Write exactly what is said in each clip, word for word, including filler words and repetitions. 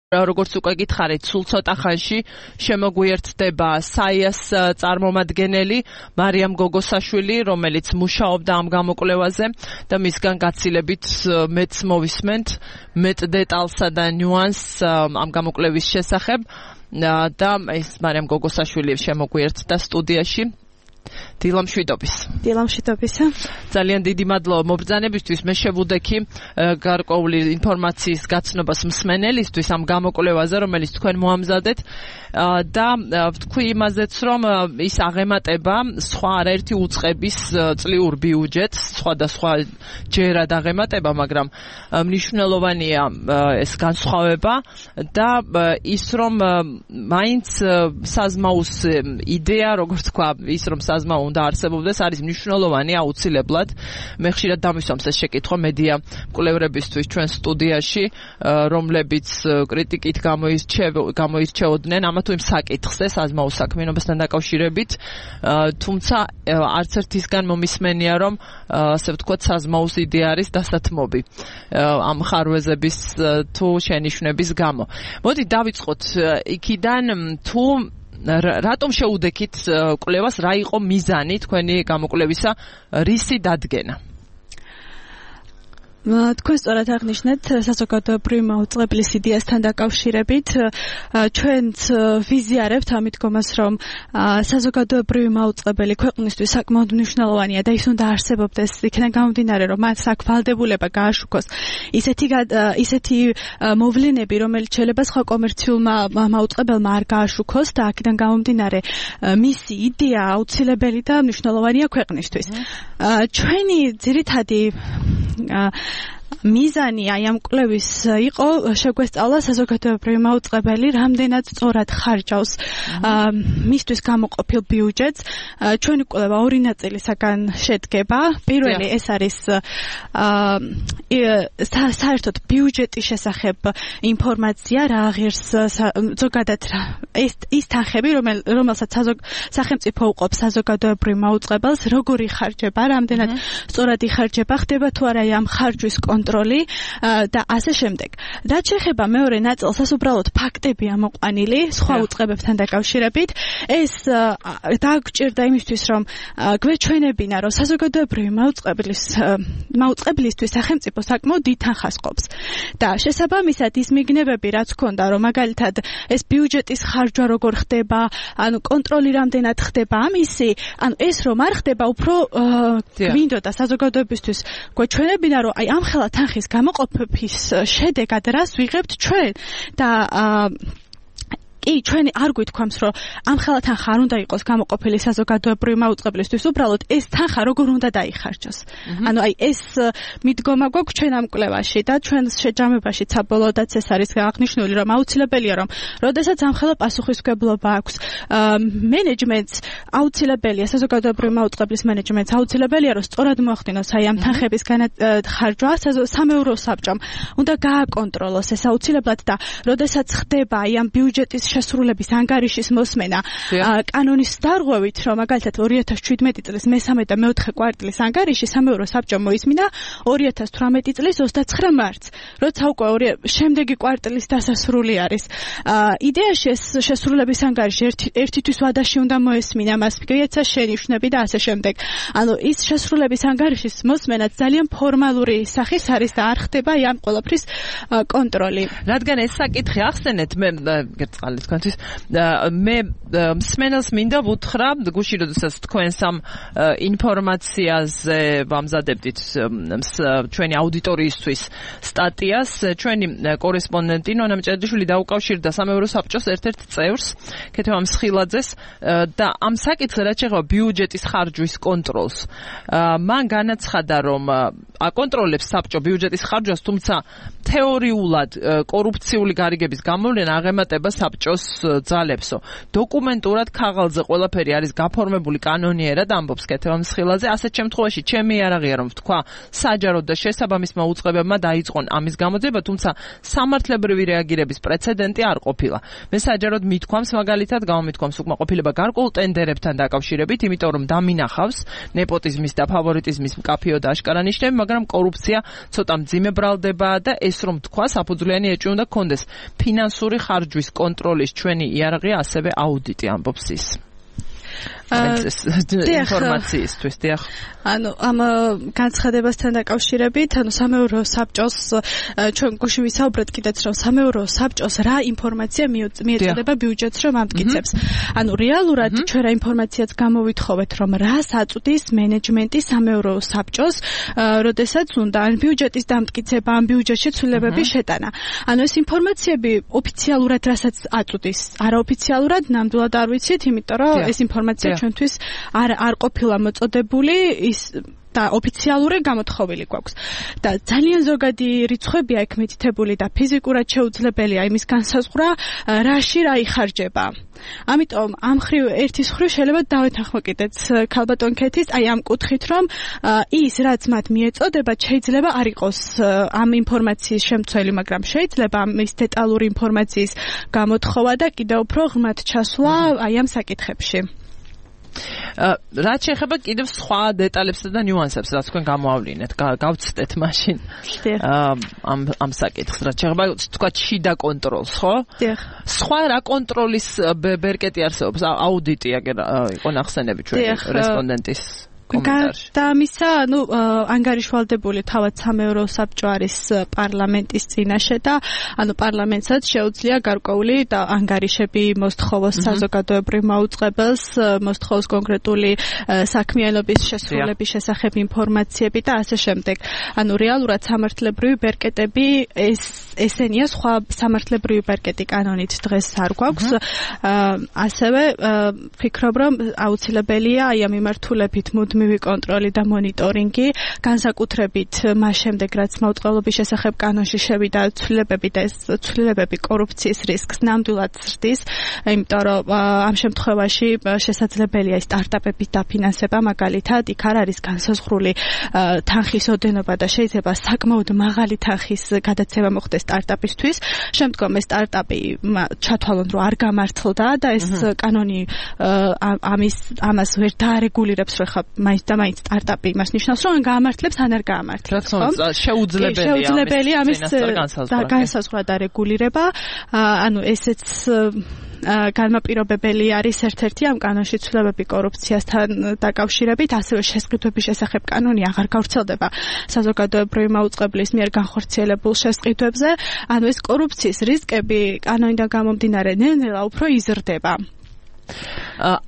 როგორც უკვე გითხარით, სულ ცოტა ხანში შემოგვიერთდება საიას წარმომადგენელი მარიამ გოგოსაშვილი, რომელიც მუშაობდა ამ გამოკვლევაზე და მისგან გაცილებით მეც მოვისმენთ მეტ დეტალსა და ნიუანსს ამ გამოკვლევის შესახებ და ეს მარიამ გოგოსაშვილი შემოგვიერთდა სტუდიაში. დილა მშვიდობის. დილა მშვიდობისა. ძალიან დიდი მადლობა მობრძანებისთვის. მე შევუდექი გარკვეული ინფორმაციის გაცნობას მსმენელისთვის ამ გამოკვლევაზე, რომელიც თქვენ მოამზადეთ და ვთქვი იმაზეც, რომ ის აღემატება სხვა არაერთი უწყების წლიურ ბიუჯეტს, სხვადასხვა ჯერად აღემატება, მაგრამ მნიშვნელოვანია ეს განსხვავება და ის რომ მაინც საზმაუს იდეა, როგორც თქვა, ის რომ საზმაო უნდა არსებობდეს, არის მნიშვნელოვანი აუცილებლად. მე ხშირად დამისვამს ეს შეკითხვა მედია მკვლევრებისთვის ჩვენ სტუდიაში, რომლებიც კრიტიკით გამოირჩეოდნენ ამა თუ იმ საკითხზე, საზმაო საქმიანობასთან დაკავშირებით, თუმცა არც ერთისგან მომისმენია, რომ ასე ვთქვათ, საზმაოს იდეა არის დასათმობი ამ ხარვეზების თუ შენიშვნების გამო. მოდი დავიწყოთ იქიდან, თუ რატომ შეუდექით კვლევას, რა იყო მიზანი თქვენი გამოკვლევისა, რისი დადგენა? თქვენ სწორად აღნიშნეთ, საზოგადოებრივი მაუწყებლის იდეასთან დაკავშირებით ჩვენც ვიზიარებთ ამ მიდგომას, რომ საზოგადოებრივი მაუწყებელი ქვეყნისთვის საკმაოდ მნიშვნელოვანია და ის უნდა არსებობდეს, იქიდან გამომდინარე, რომ მას აქ ვალდებულება გააშუქოს ისეთი ისეთი მოვლენები, რომელიც შეიძლება სხვა კომერციულმა მაუწყებელმა არ გააშუქოს და აქედან გამომდინარე მისი იდეა აუცილებელი და მნიშვნელოვანია ქვეყნისთვის. ჩვენი ძირითადი მიზანი აი ამ კვლევის იყო შეგვესწავლა საზოგადოებრივი მაუწყებელი რამდენად სწორად ხარჯავს მისთვის გამოყოფილ ბიუჯეტს. ჩვენი კვლევა ორი ნაწილისაგან შედგება. პირველი ეს არის საერთოდ ბიუჯეტის შესახებ ინფორმაცია, რა აღერს ზოგადად ეს ის თანხები, რომელსაც სახელმწიფო უყოფს საზოგადოებრივ მაუწყებელს, როგორი ხარჯება, რამდენად სწორად იხარჯება, ხდება თუ არა ამ ხარჯვის კონტროლი და ასე შემდეგ. რაც შეეხება მეორე ნაწილს, ეს უბრალოდ ფაქტებია მოყვანილი სხვა უწყებებთან დაკავშირებით. ეს დაგვჭირდა იმისთვის, რომ გვეჩვენებინა, რომ საზოგადოებრივი მაუწყებლის მაუწყებლისთვის სახელმწიფო საკმაოდ დიდ თანხას ყოფს. და შესაბამისად ის მიგნებები, რაც ჰქონდა, რომ მაგალითად ეს ბიუჯეტის ხარჯვა როგორ ხდება, ანუ კონტროლი რამდენად ხდება, ამისი, ანუ ეს რომ არ ხდება, უფრო გვინდოდა საზოგადოებისთვის გვეჩვენებინა, რომ აი ამ ხელა თანხის გამოყოფების შედეგად რას ვიღებთ ჩვენ და კი, ჩვენ არ გვითქვამს, რომ ამ ხელა თანხა არ უნდა იყოს გამოყოფილი საზოგადოებრივი მაუწყებლისთვის, უბრალოდ ეს თანხა როგორ უნდა დაიხარჯოს. ანუ აი ეს მიდგომა გვაქვს ჩვენ ამ კვლევაში და ჩვენ შეჯამებაში საბოლოოდაც ეს არის აღნიშნული, რომ აუცილებელია, რომ როდესაც ამ ხელა პასუხისმგებლობა აქვს მენეჯმენტს, აუცილებელია საზოგადოებრივი მაუწყებლის მენეჯმენტს, აუცილებელია, რომ სწორად მოახდინოს აი ამ თანხების ხარჯვა სამეურვეო საბჭომ. უნდა გააკონტროლოს ეს აუცილებლად და როდესაც ხდება აი ამ ბიუჯეტის შესრულების ანგარიშის მოსმენა კანონის დარღვევით, რომ მაგალითად ორი ათას შვიდმეტი წლის მესამე და მეოთხე კვარტლის ანგარიში სამეურვეო საბჭომ მოისმინა ორი ათას თვრამეტი წლის ოცდაცხრა მარტს, როცა უკვე შემდეგი კვარტლის დასასრული არის. იდეაში ეს შესრულების ანგარიში ერთისთვის ვადაში უნდა მოესმინა, მას მიეცა შენიშვნები და ასე შემდეგ. ანუ ის შესრულების ანგარიშის მოსმენა ძალიან ფორმალური სახის არის და არ ხდება ამ ყველაფრის კონტროლი. რადგან ეს საკითხი ახსენეთ, მე გერწყალე თქვენთვის მე მსმენელს მინდა ვუთხრა, გუშინ როდესაც თქვენ სამ ინფორმაციაზე ვამზადებდით ჩვენი აუდიტორიისთვის სტატიას, ჩვენი კორესპონდენტი ნონა მჭედიშვილი დაუკავშირდა სამეურვეო საბჭოს ერთ-ერთ წევრს, ქეთევან მსხილაძეს და ამ საკითხზე რაც შეეხება ბიუჯეტის ხარჯვის კონტროლს, მან განაცხადა, რომ აკონტროლებს საბჭო ბიუჯეტის ხარჯვას, თუმცა თეორიულად კორუფციული გარიგების გამოვლენა აღემატება საბჭოს ძალებსო. დოკუმენტურად ქაღალდზე ყველაფერი არის გაფორმებული კანონიერად, ამბობს ქეთევან მსხილაძე. ასეთ შემთხვევაში ჩემი იარაღია, რომ ვთქვა, საჯაროდ და შესაბამის მაუწყებებმა დაიწყონ ამის გამოძიება, თუმცა სამართლებრივი რეაგირების პრეცედენტი არ ყოფილა. მე საჯაროდ მithქვამს, მაგალითად გამომithქვამს უკმაყოფილება გარკვეულ ტენდერებთან დაკავშირებით, იმიტომ რომ დამინახავს ნეპოტიზმის და ფავორიტიზმის მკაფიო და აშკარა ნიშნები, მაგრამ კორუფცია ცოტა მძიმე ბრალდებაა და ეს რომ თქვა საფუძვლიანი ეჭვი უნდა გქონდეს ფინანსური ხარჯვის კონტროლის ჩვენი იარაღი ასევე აუდიტი ამბობს ის ინფორმაციისთვის დიახ ანუ ამ განცხადებასთან დაკავშირებით ანუ სამეურვეო საბჭოს ჩვენ გუშინ ვისაუბრეთ კიდეც რომ სამეურვეო საბჭოს რა ინფორმაცია მიეწოდება ბიუჯეტს რომ ამტკიცებს ანუ რეალურად ჩვენ რა ინფორმაციაც გამოვითხოვეთ რომ რას აწვდის მენეჯმენტი სამეურვეო საბჭოს როდესაც უნდა ან ბიუჯეტის დამტკიცება ან ბიუჯეტში ცვლილებების შეტანა ანუ ეს ინფორმაციები ოფიციალურად რასაც აწვდის არაოფიციალურად ნამდვილად არ ვიცით იმიტომ რომ ეს ინფორმაცია ჩვენთვის არ არ ყოფილა მოწოდებული ის და ოფიციალური გამოთხოვილი გვაქვს და ძალიან ზოგადი რიცხვებია იქ მითითებული და ფიზიკურად შეუძლებელია იმის განსაზღვრა რაში რა იხარჯება ამიტომ ამ ხრივ ერთის ხრივ შეიძლება დავეთანხმო კიდეც ქალბატონ ქეთის აი ამ კუთხით რომ ის რაც მათ მიეწოდება შეიძლება არ იყოს ამ ინფორმაციის შემცველი მაგრამ შეიძლება ამის დეტალური ინფორმაციის გამოთხოვა და კიდევ უფრო ღრმად ჩასვლა აი ამ საკითხებში რაც შეეხება კიდევ სხვა დეტალებსა და ნიუანსებს, რაც თქვენ გამოავლინეთ, გავცდეთ მაშინ ამ ამ საკითხს, რაც შეეხება თქვა შიდა კონტროლს, ხო? სხვა რა კონტროლის ბერკეტი არსებობს? აუდიტი აგერ იყო ნახსენები ჩვენი რესპონდენტის კომენტარში. და ამისა, ну, ანგარიშვალდებული თავად სამეურვეო საბჭო არის პარლამენტის წინაშე და ანუ პარლამენტსაც შეუძლია გარკვეული და ანგარიშები მოსთხოვოს საზოგადოებრივ მაუწყებელს, მოსთხოვოს კონკრეტული საქმიანობის შესრულების შესახებ ინფორმაციები და ასე შემდეგ. ანუ რეალურად სამართლებრივი ბერკეტები ეს ესენია სხვა სამართლებრივი ბერკეტი კანონით დღეს არ გვაქვს. ასევე ვფიქრობ, რომ აუცილებელია აი ამ მიმართულებით მუდმივი კონტროლი და მონიტორინგი, განსაკუთრებით მას შემდეგ, რაც მაუწყებლობის შესახებ კანონში შევიდა ცვლილებები და ეს ცვლილებები კორუფციის რისკს ნამდვილად ზრდის, იმიტომ რომ ამ შემთხვევაში შესაძლებელია სტარტაპების დაფინანსება, მაგალითად, იქ არ არის განსაზღვრული თანხის ოდენობა და შეიძლება საკმაოდ მაღალი თანხის გადაცემა მოხდეს სტარტაპისთვის. შემდგომ ეს სტარტაპი ჩათვალონ, რომ არ გამართლდა და ეს კანონი ამის ამას ვერ დაარეგულირებს, რომ ხა მაინც და მაინც სტარტაპი იმას ნიშნავს, რომ გაამართლებს ან არ გაამართლებს. შეუძლებელია შეუძლებელია ამის განსაზღვრა და რეგულირება. ანუ ესეც განმაპირობებელი არის ერთ-ერთი ამ კანონში ცვლილებები კორუფციასთან დაკავშირებით, ასევე შესყიდვების შესახებ კანონი აღარ გავრცელდება საზოგადოებრივი მაუწყებლის მიერ განხორციელებულ შესყიდვებზე. ანუ ეს კორუფციის რისკები კანონიდან გამომდინარე ნელ-ნელა უფრო იზრდება.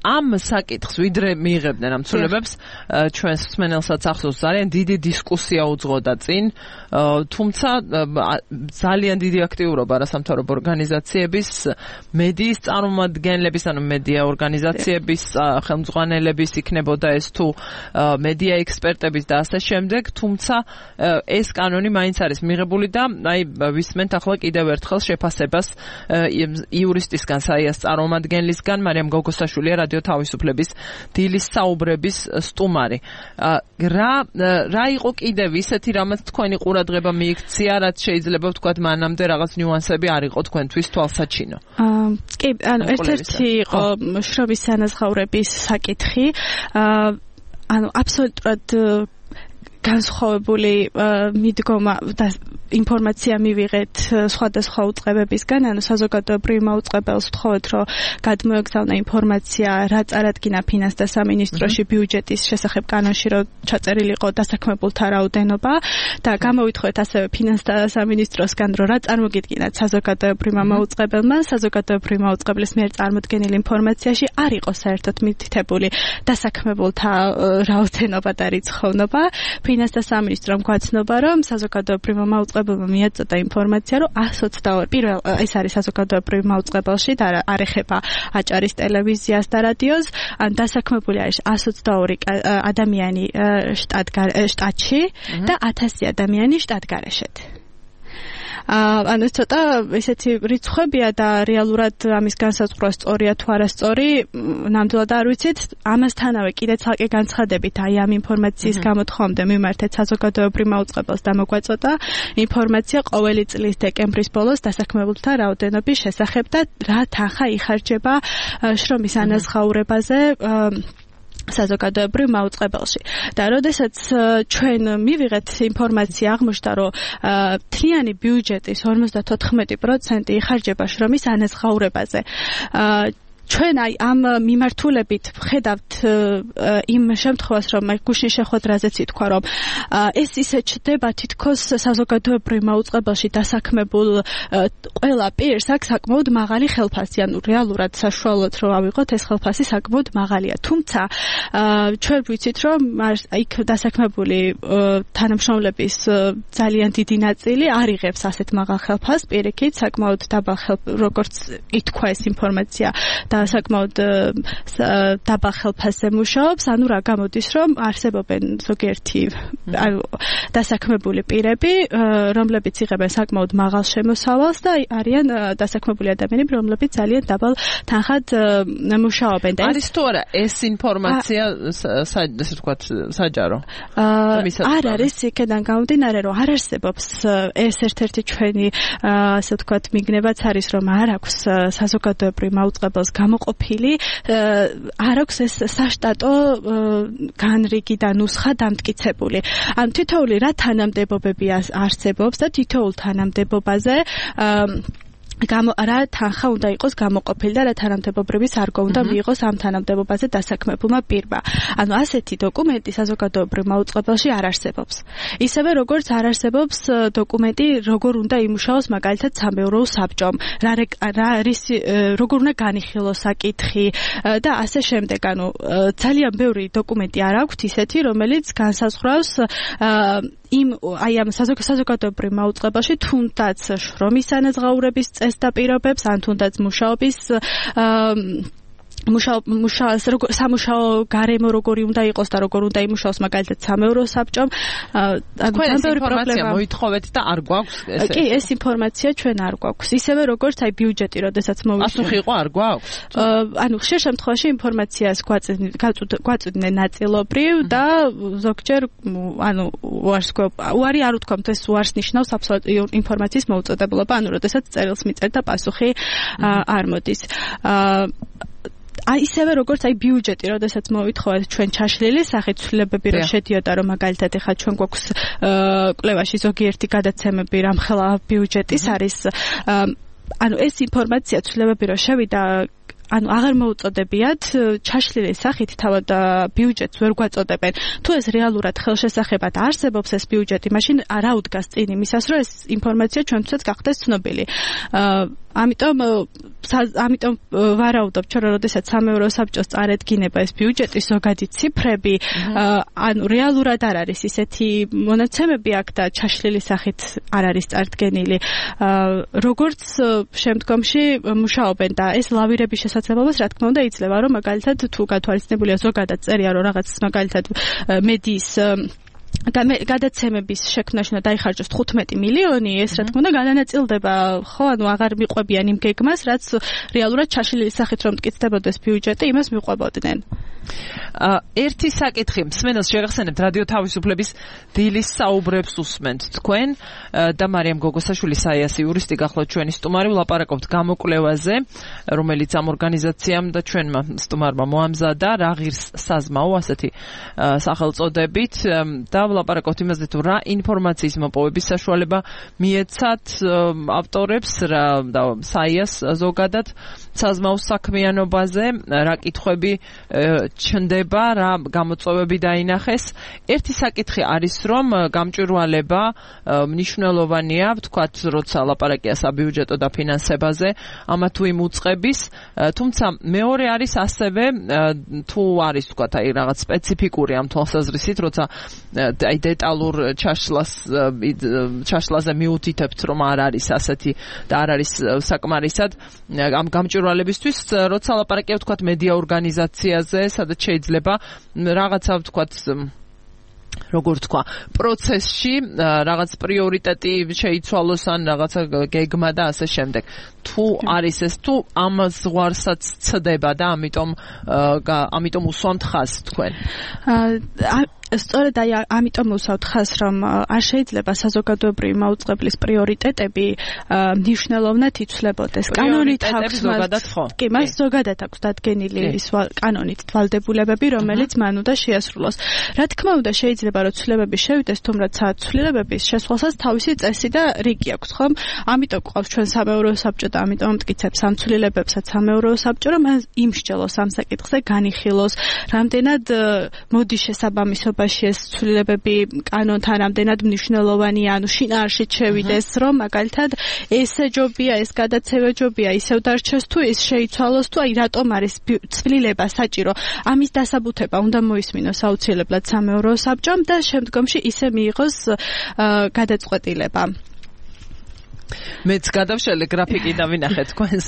ამ საკითხს ვიდრე მიიღებდნენ ამ ცვლილებებს ჩვენს მსმენელსაც ახსოვს ძალიან დიდი დისკუსია უძღოდა წინ, თუმცა ძალიან დიდი აქტიურობა არასამთავრობო ორგანიზაციების, მედიის წარმომადგენლების, ანუ მედია ორგანიზაციების, ხელმძღვანელების იქნებოდა ეს თუ მედია ექსპერტების და ასე შემდეგ, თუმცა ეს კანონი მაინც არის მიღებული და აი ვისმენთ ახლა კიდევ ერთხელ შეფასებას იურისტისგან, საიას წარმომადგენლისგან, მარიამ გოგოსაშვილია რადიო თავისუფლების დილის საუბრების სტუმარი. რა რა იყო კიდევ ისეთი რამაც თქვენი ყურადღება მიიქცია, რაც შეიძლება ვთქვათ მანამდე რაღაც ნიუანსები არ იყო თქვენთვის თვალსაჩინო? კი, ანუ ერთ-ერთი იყო შრომის ანაზღაურების საკითხი. ანუ აბსოლუტურად განსხვავებული მიდგომა და ინფორმაცია მივიღეთ სხვადასხვა უწყებებისგან, ანუ საზოგადოებრივ მაუწყებელს ვთხოვეთ, რომ გადმოეგზავნა ინფორმაცია, რა წარადგინა ფინანს და სამინისტროში ბიუჯეტის შესახებ კანონში, რომ ჩაწერილი იყო დასაქმებულთა რაოდენობა და გამოვითხოვეთ ასევე ფინანს და სამინისტროსგან, რომ რა წარმოგიდგინათ საზოგადოებრივმა მაუწყებელმა, საზოგადოებრივ მაუწყებლის მიერ წარმოდგენილ ინფორმაციაში არ იყო საერთოდ მითითებული დასაქმებულთა რაოდენობა და რიცხოვნობა. ფინანს და სამინისტრომ გვაცნობა, რომ საზოგადოებრივ მაუწყებელმა მიაწოდა ინფორმაცია, რომ εκατს ოცდაორი პირველ ეს არის საზოგადოებრივ მაუწყებელში და არ ეხება აჭარის ტელევიზიას და რადიოს, ან დასაქმებული არის εκατს ოცდაორი ადამიანი შტატში და ათასი ადამიანი შტატგარეშეთ. ანუ ცოტა ესეთი რიცხვებია და რეალურად ამის განსაზღვრა სწორია თუ არასწორი, ნამდვილად არ ვიცით. ამასთანავე კიდე ცალკე განცხადებით აი ამ ინფორმაციის გამოთხოვამდე მიმართეთ საზოგადოებრივ მაუწყებელს და მოგვაწოდა ინფორმაცია ყოველი წლის დეკემბრის ბოლოს დასაქმებულთა რაოდენობის შესახებ და რა თანხა იხარჯება შრომის ანაზღაურებაზე საზოგადოებრივ მაუწყებელში. და როდესაც ჩვენ მივიღეთ ინფორმაცია აღმოჩნდა, რომ მთლიანი ბიუჯეტის ორმოცდათოთხმეტი პროცენტი იხარჯება შრომის ანაზღაურებაზე. ჩვენ აი ამ მიმართულებით ვხედავთ იმ შემთხვევას, რომ გუშინ შეხვედრაზეც ითქვა, რომ ეს ისე ჩდება თითქოს საზოგადოებრივ მაუწყებელში დასაქმებულ ყველა პირს აქვს საკმაოდ მაღალი ხელფასი, ანუ რეალურად საშუალოდ რომ ავიღოთ, ეს ხელფასი საკმაოდ მაღალია. თუმცა ჩვენ ვიცით, რომ იქ დასაქმებული თანამშრომლების ძალიან დიდი ნაწილი არ იღებს ასეთ მაღალ ხელფასს, პირიქით საკმაოდ დაბალ ხელფასს, როგორც ითქვა ეს ინფორმაცია და საკმაოდ დაბალ ხელფასზე მუშაობს, ანუ რა გამოდის, რომ არსებობენ ზოგიერთი დასაქმებული პირები, რომლებიც იღებენ საკმაოდ მაღალ შემოსავალს და არიან დასაქმებული ადამიანები, რომლებიც ძალიან დაბალ თანხად მუშაობენ. არის თუ არა ეს ინფორმაცია, ესე ვთქვათ, საჯარო? არ არის, იქედან გამომდინარე, რომ არ არსებობს ეს ერთ-ერთი ჩვენი, ასე ვთქვათ, მიგნებაც არის, რომ არ აქვს საზოგადოებრივ მაუწყებელს გამოყოფილი, არ აქვს ეს საშტატო განრიგი და ნუსხა დამტკიცებული. ან თითოეული რა თანამდებობები არსებობს და თითოეულ თანამდებობაზე გამო რა თანხა უნდა იყოს გამოყოფილი და რა თანამდებობრივი სარგო უნდა მიიღოს ამ თანამდებობაზე დასაქმებულმა პირმა. ანუ ასეთი დოკუმენტი საზოგადოებრივ მაუწყებელში არ არსებობს. ისევე როგორც არ არსებობს დოკუმენტი, როგორ უნდა იმუშაოს მაგალითად სამეურვეო საბჭომ, რა რა არის როგორ უნდა განიხილოს საკითხი და ასე შემდეგ. ანუ ძალიან ბევრი დოკუმენტი არ აქვს ისეთი, რომელიც განსაზღვრავს იმ აი ამ საზოგადოებრივ მაუწყებელში თუნდაც შრომის ანაზღაურების წესს და პირობებს, ან თუნდაც მუშაობის მუშაობა სამუშაო გარემო როგორი უნდა იყოს და როგორ უნდა იმუშაოს მაგალითად სამეურვეო საბჭომ. ანუ ძალიან პრობლემა მოითხოვეთ და არ გვაქვს ესე. კი, ეს ინფორმაცია ჩვენ არ გვაქვს. ისევე როგორც აი ბიუჯეტი, როდესაც მოვიდა. ასუხი იყო არ გვაქვს? ანუ ხშირ შემთხვევაში ინფორმაციას გვაწვდნენ ნაწილობრივ და ზოგჯერ ანუ უარს უარი არ ვთქვამთ, ეს უარს ნიშნავს აბსოლუტური ინფორმაციის მოუწოდებულობა, ანუ როდესაც წერილს მიწერთ და პასუხი არ მოდის. აი ისევე როგორც აი ბიუჯეტი, როდესაც მოვითხოვეთ ჩვენ ჩაშლილი სახით ცვლილებები რომ შედიოდა, რომ მაგალითად ეხლა ჩვენ გვაქვს კვლევაში ზოგიერთი გადაცემები რამხელა ბიუჯეტის არის, ანუ ეს ინფორმაცია ცვლილებები რომ შევიდა, ანუ აღარ მოუწოდებიათ ჩაშლილი სახით თავად ბიუჯეტს ვერ გვაწოდებენ. თუ ეს რეალურად ხელშესახებად არსებობს ეს ბიუჯეტი, მაშინ რა უდგას წინ იმისას, რომ ეს ინფორმაცია ჩვენთვისაც გახდეს ცნობილი. ამიტომ ამიტომ ვარაუდობ ჩვენ, რომ როდესაც სამეურვეო საბჭოს წარედგინება ეს ბიუჯეტის ზოგადი ციფრები, ანუ რეალურად არ არის ისეთი მონაცემები აქ და ჩაშლილი სახით არ არის წარდგენილი. როგორც შემდგომში მუშაობენ და ეს ლავირების შესაძლებლობას რა თქმა უნდა იძლევა, რომ მაგალითად თუ გათვალისწინებულია ზოგადად წერია, რომ რაღაც მაგალითად მედიის გადაცემების შექმნაში უნდა დაიხარჯოს თხუთმეტი მილიონი, ეს რა თქმა უნდა განანაწილდება, ხო, ანუ აღარ მიყვებიან იმ გეგმას, რაც რეალურად ჩაშლილი სახით რომ მტკიცდებოდეს ბიუჯეტი, იმას მიყვებოდნენ. ერთი საკითხი, მსმენელს შეგახსენებთ რადიო თავისუფლების დილის საუბრებს უსმენთ თქვენ და მარიამ გოგოსაშვილი საიასი იურისტი გახლავთ ჩვენი სტუმარი, ვლაპარაკობთ გამოკვლევაზე, რომელიც ამ ორგანიზაციამ და ჩვენმა სტუმარმა მოამზადა, რა ღირს საზმაო, ასეთი სახელწოდებით და ვლაპარაკობთ იმაზე, თუ რა ინფორმაციის მოპოვების საშუალება მიეცათ ავტორებს რა და საიას ზოგადად საზმაოს საქმიანობაზე, რა კითხვები ჩნდება, რა გამოწვევები დაინახეს. ერთი საკითხი არის, რომ გამჭვირვალება მნიშვნელოვანია, ვთქვათ, როცა ლაპარაკია საბიუჯეტო დაფინანსებაზე, ამა თუ იმ უწყების, თუმცა მეორე არის ასევე, თუ არის, ვთქვათ, აი რაღაც სპეციფიკური ამ თვალსაზრისით, როცა აი დეტალურ ჩაშლას ჩაშლაზე მიუთითებთ, რომ არ არის ასეთი და არ არის საკმარისად ამ გამჭვირვალებისთვის, როცა ლაპარაკია, ვთქვათ, მედია ორგანიზაციაზე, სადაც შეიძლება რაღაცა, ვთქვათ, როგორ თქვა, პროცესში რაღაც პრიორიტეტი შეიცვალოს ან რაღაცა გეგმა და ასე შემდეგ. თუ არის ეს, თუ ამ ზღვარსაც ცდება და ამიტომ ამიტომ უსვამთ ხაზს თქვენ. სწორედ აი ამიტომ უსაუთ ხას რომ არ შეიძლება საზოგადოებრივი მაუწყებლის პრიორიტეტები მნიშვნელოვნად იცვლებოდეს. კანონით აქვს ზოგადად ხო? კი, მას ზოგადად აქვს დადგენილი ის კანონით ვალდებულებები, რომელიც მან უნდა შეასრულოს. Რა თქმა უნდა, შეიძლება რომ ცვლილებები შევიდეს, თუმცა ცვლილებების შესვლასაც თავისი წესი და რიგი აქვს, ხომ? ამიტომ გვყავს ჩვენ სამეურვეო საბჭო და ამიტომ მტკიცებს ამ ცვლილებებსაც სამეურვეო საბჭო, რომ მან იმსჯელოს ამ საკითხზე, განიხილოს, რამდენად მოდი შესაბამისობაში ეს ცვლილებები კანონთან რამდენად მნიშვნელოვანია, ანუ შინაარსით შევიდეს, რომ მაგალითად ესე ჯობია, ეს გადაცევა ჯობია, ისევ დარჩეს თუ ის შეიცვალოს თუ აი რატომ არის ცვლილება საჭირო. ამის დასაბუთება უნდა მოისმინოს აუცილებლად სამეურვეო საბჭომ და შემდგომში ისე მიიღოს გადაწყვეტილება. მეც გადავშალე გრაფიკი და ვინახე თქვენს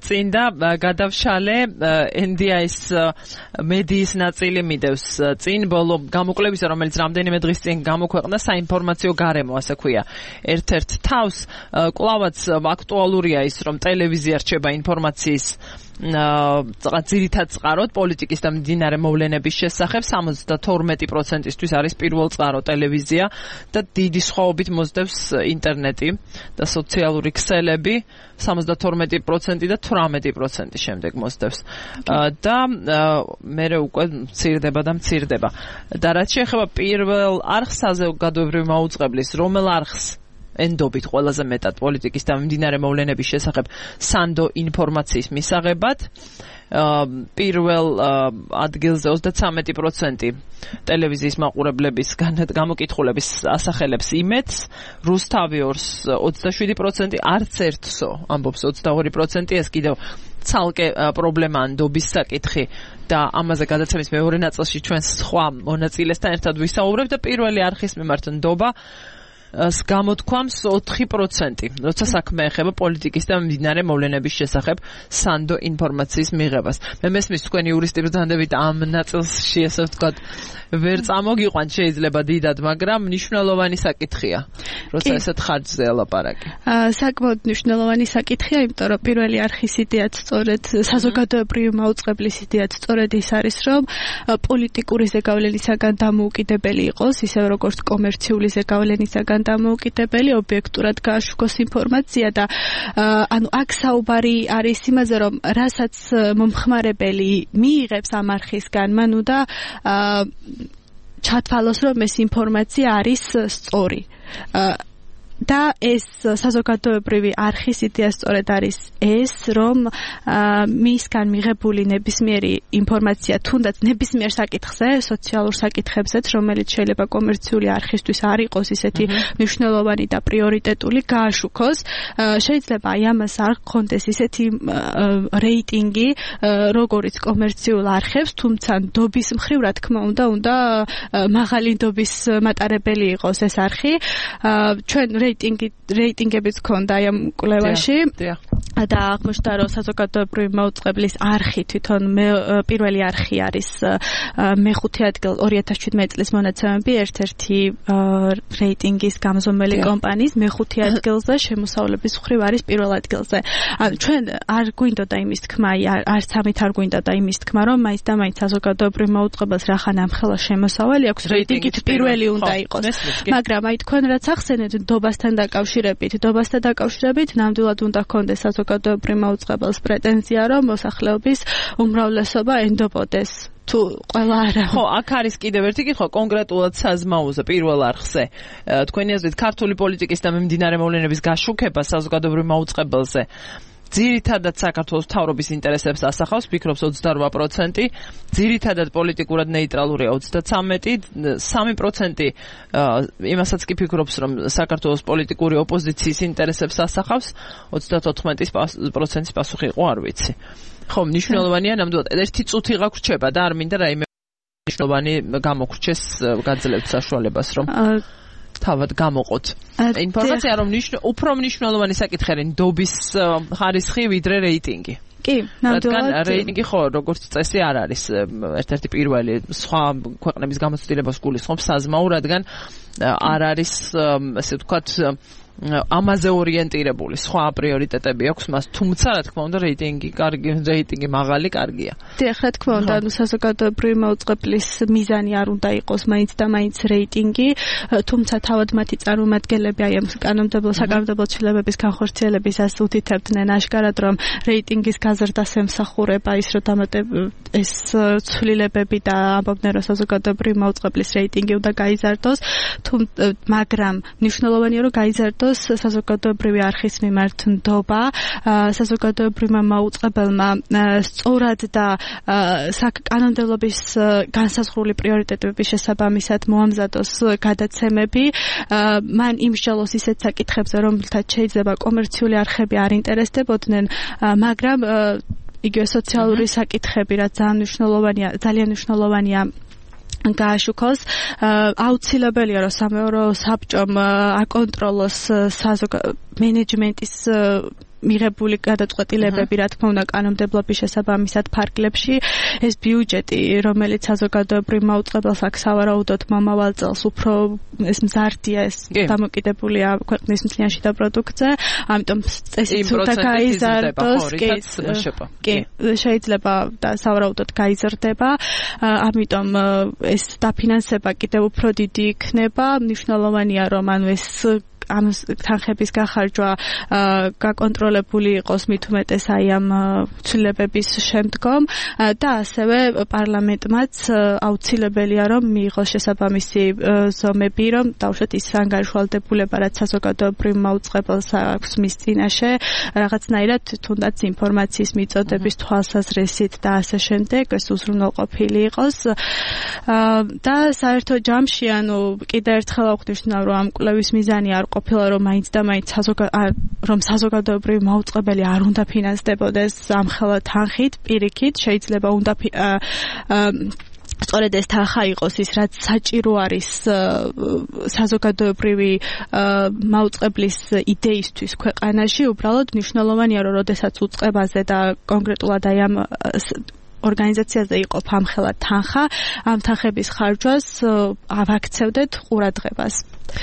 წინ და გადავშალე ენ დი აის მედიის ნაწილი მიდევს წინ ბოლო გამოკვლევისა, რომელიც რამდენიმე დღის წინ გამოქვეყნდა საინფორმაციო გარემო, ასე ქვია. ერთ-ერთ თავს კვლავაც აქტუალურია ის, რომ ტელევიზია რჩება ინფორმაციის ძირითად წყაროდ პოლიტიკის და მდინარე მოვლენების შესახებ. სამოცდათორმეტი პროცენტისთვის არის პირველ წყარო ტელევიზია და დიდი სხვაობით მოსდევს ინტერნეტი და სოციალური ქსელები. სამოცდათორმეტი პროცენტი და თვრამეტი პროცენტი შემდეგ მოსდევს და მე უკვე მცირდება და მცირდება. და რაც შეეხება პირველ არხს საზოგადოებრივი მაუწყებლის, რომელ არხს ენდობით ყველაზე მეტად პოლიტიკის და მდინარე მოვლენების შესახებ სანდო ინფორმაციის მისაღებად. პირველ ადგილზე ოცდათვრამეტი პროცენტი ტელევიზიის მაყურებლების გამოკითხულების ასახელებს იმედს, რუსთავი ორს ოცდაშვიდი პროცენტი, არც ერთსო ამბობს ოცდაორი პროცენტი, ეს კიდევ ცალკე პრობლემაა ნდობის საკითხი და ამაზე გადაცემის მეორე ნაწილში ჩვენ სხვა მონაწილესთან ერთად ვისაუბრებთ და პირველი არხის მიმართ ნდობა გამოთქვამს ოთხი პროცენტი, როცა საქმე ეხება პოლიტიკის და მდინარე მოვლენების შესახებ სანდო ინფორმაციის მიღებას. მე მესმის თქვენი იურისტი ბრძანდებით ამ ნაწილში, ესე ვთქვათ, ვერ წამოგიყვანთ შეიძლება დიდად, მაგრამ მნიშვნელოვანი საკითხია, როცა ესეთ ხარჯზე ელაპარაკი. საკმაოდ მნიშვნელოვანი საკითხია, იმიტომ რომ პირველი არხის იდეაც სწორედ საზოგადოებრივი მაუწყებლის იდეაც სწორედ ის არის, რომ პოლიტიკური ზეგავლენისაგან დამოუკიდებელი იყოს, ისევ როგორც კომერციული ზეგავლენისაგან დამოუკიდებელი, ობიექტურად გააშუქოს ინფორმაცია და ანუ აქ საუბარი არის იმაზე, რომ რასაც მომხმარებელი მიიღებს ამ არხისგან, მან უნდა ჩათვალოს, რომ ეს ინფორმაცია არის სწორი. და ეს საზოგადოებრივი არხის იდეა სწორედ არის ეს, რომ მისგან მიღებული ნებისმიერი ინფორმაცია, თუნდაც ნებისმიერ საკითხზე, სოციალურ საკითხებზეც, რომელიც შეიძლება კომერციული არხისთვის არ იყოს ისეთი მნიშვნელოვანი და პრიორიტეტული, გააშუქოს. შეიძლება აი ამას არ გქონდეს ისეთი რეიტინგი, როგორიც კომერციულ არხებს, თუმცა ნდობის მხრივ, რა თქმა უნდა, უნდა მაღალი ნდობის მატარებელი იყოს ეს არხი. ჩვენ რეიტინგი რეიტინგებიც ქონდა აი ამ კვლევაში და აღმოჩნდა, რომ საზოგადოებრივი მაუწყებლის არხი თვითონ პირველი არხი არის მეხუთე ადგილ ორი ათას შვიდმეტი წლის მონაცემები ერთ-ერთი რეიტინგის გამზომელი კომპანიის მეხუთე ადგილზე, შემოსავლების მხრივ არის პირველ ადგილზე. ანუ ჩვენ არ გვინდოდა იმის თქმა, არც ამით არ გვინდოდა იმის თქმა, რომ მაინც და მაინც საზოგადოებრივ მაუწყებელს რახან ამხელა შემოსავალი აქვს, რეიტინგით პირველი უნდა იყოს. მაგრამ აი თქვენ რაც ახსენეთ ნდობასთან დაკავშირებით, ნდობასთან დაკავშირებით ნამდვილად უნდა ჰქონდეს საზოგადოებრივ მაუწყებელს პრეტენზია, რომ მოსახლეობის უმრავლესობა ენდობოდეს. თუ ყველა არა. ხო, აქ არის კიდევ ერთი კითხვა კონკრეტულად საზმაოზე, პირველ არხზე. თქვენი აზრით, ქართული პოლიტიკის და მიმდინარე მოვლენების გაშუქება საზოგადოებრივ მაუწყებელზე ძირითადად საქართველოს მთავრობის ინტერესებს ასახავს, ფიქრობს ოცდარვა პროცენტი, ძირითადად პოლიტიკურად ნეიტრალურია ოცდათვრამეტი, სამი პროცენტი იმასაც კი ფიქრობს, რომ საქართველოს პოლიტიკური ოპოზიციის ინტერესებს ასახავს, ოცდათოთხმეტი პროცენტის პასუხი იყო, არ ვიცი. ხო, მნიშვნელოვანია ნამდვილად ერთი წუთი გაგვრჩება და არ მინდა რაიმე მნიშვნელოვანი გამოგრჩეს გაძლევთ საშუალებას, რომ თავად გამოყოთ. ინფორმაცია, რომ უფრო მნიშვნელოვანი საკითხი არის ნდობის ხარისხი ვიდრე რეიტინგი. კი, ნამდვილად. რეიტინგი ხო, როგორც წესი არ არის ერთ-ერთი პირველი სხვა ქვეყნების გამოცდილებას გულისხმობს საზმაო, რადგან არ არის, ასე ვთქვათ, ამაზე ორიენტირებული სხვა პრიორიტეტები აქვს მას, თუმცა რა თქმა უნდა რეიტინგი კარგი, რეიტინგი მაღალი კარგია. დიახ, რა თქმა უნდა, ანუ საზოგადოებრივი მაუწყებლის მიზანი არ უნდა იყოს მაინც და მაინც რეიტინგი, თუმცა თავად მათი წარმომადგენლები აი ამ კანონმდებლო საკანონმდებლო ცვლილებების განხორციელებისას უთითებდნენ აშკარად, რომ რეიტინგის გაზრდას ემსახურება ის, რომ დამატებ ეს ცვლილებები და ამბობდნენ, რომ საზოგადოებრივი მაუწყებლის რეიტინგი უნდა გაიზარდოს, მაგრამ მნიშვნელოვანია, რომ გაიზარდოს საზოგადოებრივი არხის მიმართ ნდობა, საზოგადოებრივმა მაუწყებელმა სწორად და საკანონმდებლობის განსაზღვრული პრიორიტეტების შესაბამისად მოამზადოს გადაცემები, მან იმსჯელოს ისეთ საკითხებზე, რომელთაც შეიძლება კომერციული არხები არ ინტერესდებოდნენ, მაგრამ იგივე სოციალური საკითხები, რაც ძალიან მნიშვნელოვანია, ძალიან მნიშვნელოვანია გააშუქოს, აუცილებელია, რომ სამეურო საბჭომ აკონტროლოს მენეჯმენტის მიღებული გადაწყვეტილებები, რა თქმა უნდა, კანონმდებლობის შესაბამისად ფარგლებში. ეს ბიუჯეტი, რომელიც საზოგადოებრივ მაუწყებელს აქ სავარაუდოდ მომავალ წელს უფრო ეს მზარდია, ეს დამოკიდებულია ქვეყნის მთლიან შიდა პროდუქტზე, ამიტომ წესიც უნდა გაიზარდოს, კი, შეიძლება და სავარაუდოდ გაიზარდება, ამიტომ ეს დაფინანსება კიდევ უფრო დიდი იქნება, მნიშვნელოვანია, რომ ანუ ეს ამ თანხების გახარჯვა გაკონტროლებული იყოს მით უმეტეს აი ამ ცვლილებების შემდგომ და ასევე პარლამენტმაც აუცილებელია რომ მიიღოს შესაბამისი ზომები, რომ დავუშვათ ის ანგარიშვალდებულება, რაც საზოგადოებრივ მაუწყებელს აქვს მის წინაშე, რაღაცნაირად თუნდაც ინფორმაციის მიწოდების თვალსაზრისით და ასე შემდეგ ეს უზრუნველყოფილი იყოს და საერთო ჯამში ანუ კიდევ ერთხელ აღვნიშნავ, რომ ამ კვლევის მიზანი არ ყოფილა, რომ მაინც და მაინც რომ საზოგადოებრივი მაუწყებელი არ უნდა ფინანსდებოდეს ამხელა თანხით, პირიქით, შეიძლება უნდა სწორედ ეს თანხა იყოს ის, რაც საჭირო არის საზოგადოებრივი მაუწყებლის იდეისთვის ქვეყანაში, უბრალოდ მნიშვნელოვანია, რომ როდესაც უწყებაზე და კონკრეტულად აი ამ ორგანიზაციაზე იყოფ ამხელა თანხა, ამ თანხების ხარჯვას ავაქცევდეთ ყურადღებას.